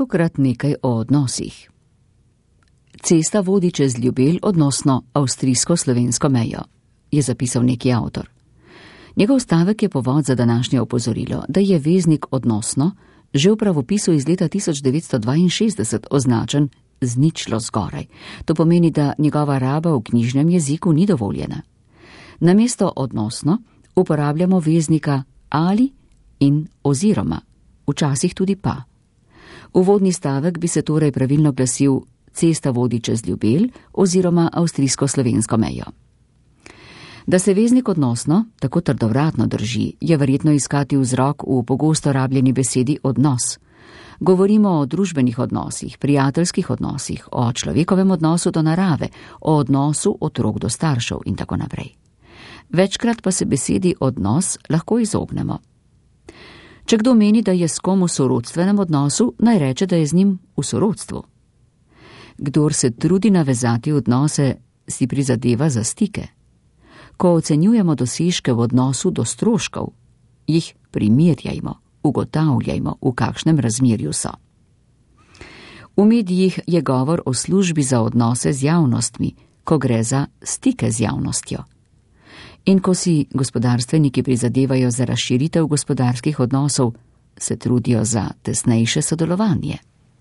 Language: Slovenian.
Tokrat nekaj o odnosih. Cesta vodi čez Ljubelj, odnosno avstrijsko-slovensko mejo, je zapisal neki avtor. Njegov stavek je povod za današnje opozorilo, da je veznik odnosno že v pravopisu iz leta 1962 označen z ničlo zgoraj. To pomeni, da njegova raba v knjižnem jeziku ni dovoljena. Namesto odnosno uporabljamo veznika ali in oziroma, včasih tudi pa. Uvodni stavek bi se torej pravilno glasil: cesta vodi čez Ljubelj oziroma avstrijsko-slovensko mejo. Da se veznik odnosno tako trdovratno drži, je verjetno iskati vzrok v pogosto rabljeni besedi odnos. Govorimo o družbenih odnosih, prijateljskih odnosih, o človekovem odnosu do narave, o odnosu otrok do staršev in tako naprej. Večkrat pa se besedi odnos lahko izognemo. Če kdo meni, da je s kom v sorodstvenem odnosu, naj reče, da je z njim v sorodstvu. Kdor se trudi navezati odnose, si prizadeva za stike. Ko ocenjujemo dosežke v odnosu do stroškov, jih primerjajmo, ugotavljajmo, v kakšnem razmerju so. V medijih je govor o službi za odnose z javnostmi, ko gre za stike z javnostjo. In ko si gospodarstveniki prizadevajo za razširitev gospodarskih odnosov, se trudijo za tesnejše sodelovanje.